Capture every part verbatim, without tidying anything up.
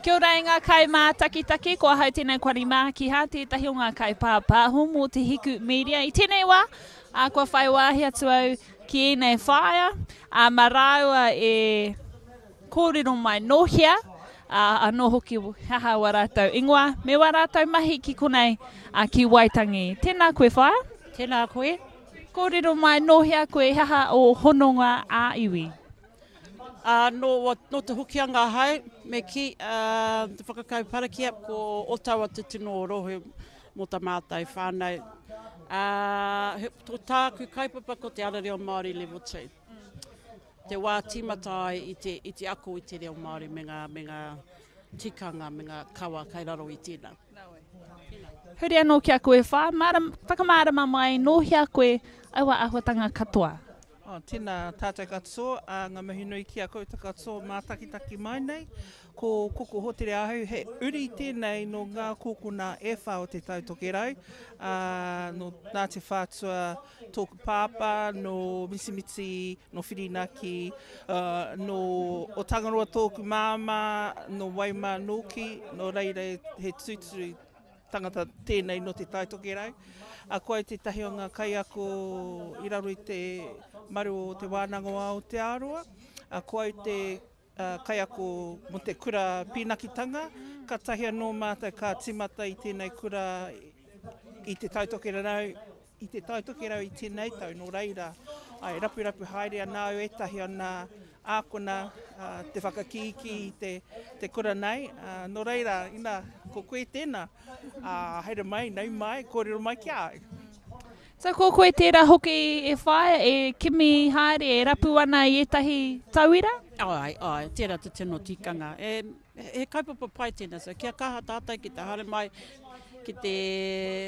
Kia ora e ngā kaimātakitaki, ko ahau tēnei Kwari Mākiha, tētahi o ngā kaipāpāho mō Te Hiku Media. I tēnei wā, ā, kua whai wāhi atu au ki ēnei whaea, ā, mā rāua e kōrero mai nō hea, ā, anō hoki he aha wā rātou ingoa, me wā rātou mahi ki konei, ā, ki Waitangi. Tēnā koe whaea. Tēnā koe. Kōrero mai nō hea koe, he aha ō hononga ā-iwi? Ā, nō, nō Te Hokianga ahau, me kī, ā, te whakakau parakia, ko Otawa te tino rohe mō tā mātou whānau. Ā, he, ko tāku kaupapa ko te Ara Reo Māori Level Two. Te wā tīmata ai i te, i te ako i te reo Māori me ngā, me ngā tikanga, me ngā kawa kei raro i tēnā. Huri anō ki a koe whā, māram, whakamārama mai nō hea koe aua āhuatanga katoa? Oh, tēnā tātou katoa, ā, ngā mihi nui ki a koutou katoa mātakitaki mai nei. Ko Koko Hotere ahau, he uri tēnei nō ngā kōkona e whā o Te Tai Tokerau, ā, nō Ngāti Whātua tōku pāpā, nō Mitimiti, nō Whirinaki, ā, nō Otangaroa tōku māmā, nō Waimā nōki, nō reira he tūturu tangata tēnei nō Te Tai Tokerau. A ko au tētahi o ngā kaiako i raro i te maru o Te Wānanga o Aotearoa. A ko au te kaiako mō te kura pīnakitanga. Kātahi anō mātou ka tīmata i tēnei kura i Te Tai Tokerau, i Te Tai Tokerau i tēnei tau. Nō reira, ai, rapurapu haere ana au ētahi o nā ākona te whakakīkī i te, te kura nei. Nō reira, ina, ko koe tēnā, haere mai, nau mai, kōrero mai ki a au. So ko koe tērā hoki e whāia, e kimi haere, e rapu ana i ētahi tauira? Āe, āe, tērā te tino tikanga. E, he kaupapa pai tēnā, so kia kaha tātou ki te haere mai, ki te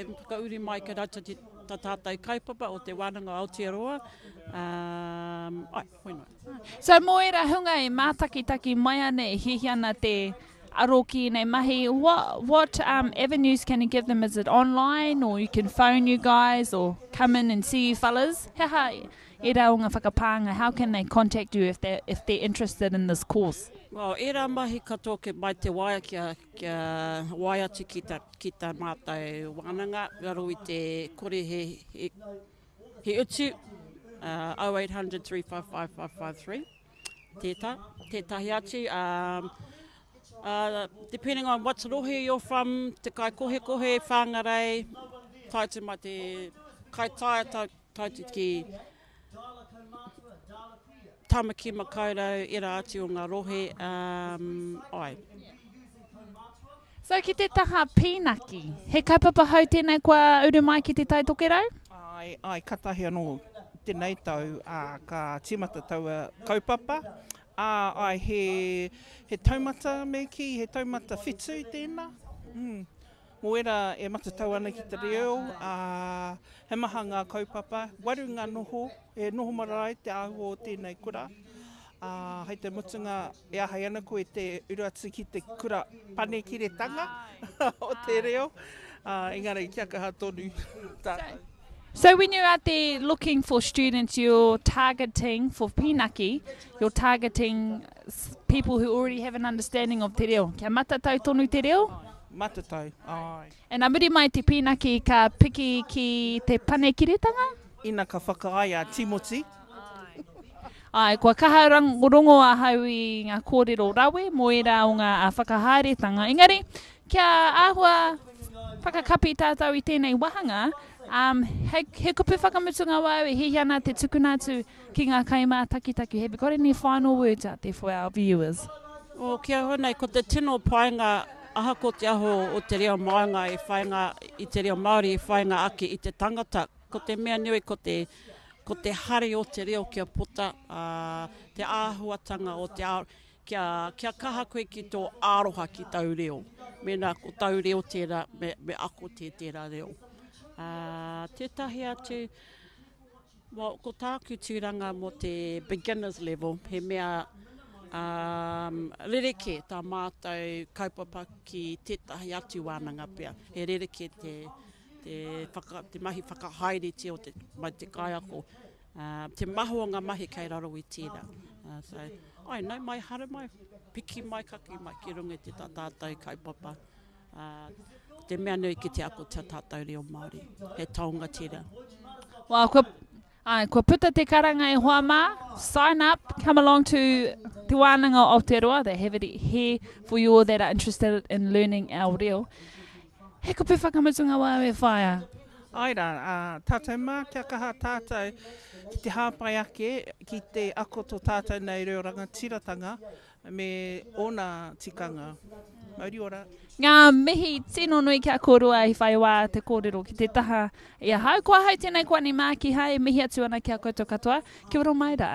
whakauri mai ki roto ki tā tātou kaupapa o Te Wānanga o Aotearoa. Um, ai, hoi noa. So mō ērā hunga e mātakitaki mai ana, e hiahia ana te aro ki ēnei mahi, what, what um, avenues can you give them? Is it online or you can phone you guys or come in and see you fellas? He aha ērā o ngā whakapānga, how can they contact you if they're, if they're interested in this course? Well, ērā mahi katoa ke mai te waea kia, kia waea atu ki ta, ki ta mātou wānanga, raro i te kore he, he, he utu, uh, oh eight hundred three five five five five three, tētā, tētahi atu, um, uh, depending on what rohe you're from, te Kaikohekohe, Whangarei, tae atu mai te Kaitaia, tae, tae atu ki Tāmaki Makaurau, era atu o ngā rohe, um, ai. So ki te taha pīnaki, he kaupapa hou tēnei kua uru mai ki Te Tai Tokerau? Ai, ai, katahi anō tēnei tau, ā, ka tīmata taua kaupapa. Ā, ai, he, he taumata me kī, he taumata whitu tēnā. Mm. Mō ērā e matatau ana ki te reo, ā, he maha ngā kaupapa, waru ngā noho, e noho marae te āhua o tēnei kura. Ā, hei te mutunga e āhei ana koe te uru atu ki te kura panekiretanga o te reo, ā, engari kia kaha tonu tātou. So when you're out there looking for students, you're targeting, for Pīnaki, you're targeting people who already have an understanding of te reo. Kia matatau tonu te reo? Matatau, āe. And a muri mai te pīnaki ka piki ki te panekiretanga? Ina ka whakaae a Timoti. Āe, kua kaha rongo ahau i ngā kōrero rawe mō ērā o ngā whakahaeretanga. Engari, kia āhua whakakapi tātou i tēnei wāhanga, um, he, he kupu whakamutunga wau e hiahia ana te tukuna atu ki ngā kaimātakitaki. Have you got any final words out there for our viewers? Oh, ki ahau nei, ko te tino painga, ahako te aho o te reo maunga e whainga, i te reo Māori e whainga ake i te tangata, ko te mea nui ko te, ko te hari o te reo kia puta, ā, te āhuatanga o te ao, kia, kia kaha koe ki tō aroha ki tau reo. Mēnā ko tau reo tērā, me, me ako tē tērā reo. Ā, tētahi atu, well, ko tāku tūranga mō te beginner's level, he mea um, rerekē tā mātou kaupapa ki tētahi atu wānanga pea. He rerekē te, te, whaka, te mahi whakahaeretia o te, mai te kaiako. Uh, te maha o ngā mahi kei raro i tērā. Uh, so, ai, nau mai, haere mai, piki mai, kaki mai ki runga i te tā tātou kaupapa. Uh, ko te mea nui ki te ako te tātou reo Māori. He taonga tērā. Well, kua, ai, kua puta te karanga e hoa mā, sign up, come along to Te Wānanga o Aotearoa. They have it here for you all that are interested in learning our reo. He kupu whakamutunga wā e whaia. Ai rā, ā, tātou mā, kia kaha tātou ki te hāpai ake, ki te ako tō tātou nei reo rangatiratanga me ōna tikanga. Mauri ora. Ngā mihi tino nui kia kōrua i whai wā te kōrero ki te taha i ahau. Ko ahau tēnei ko Ani Mākiha e mihi atu ana ki a koutou katoa. Kia ora mai rā.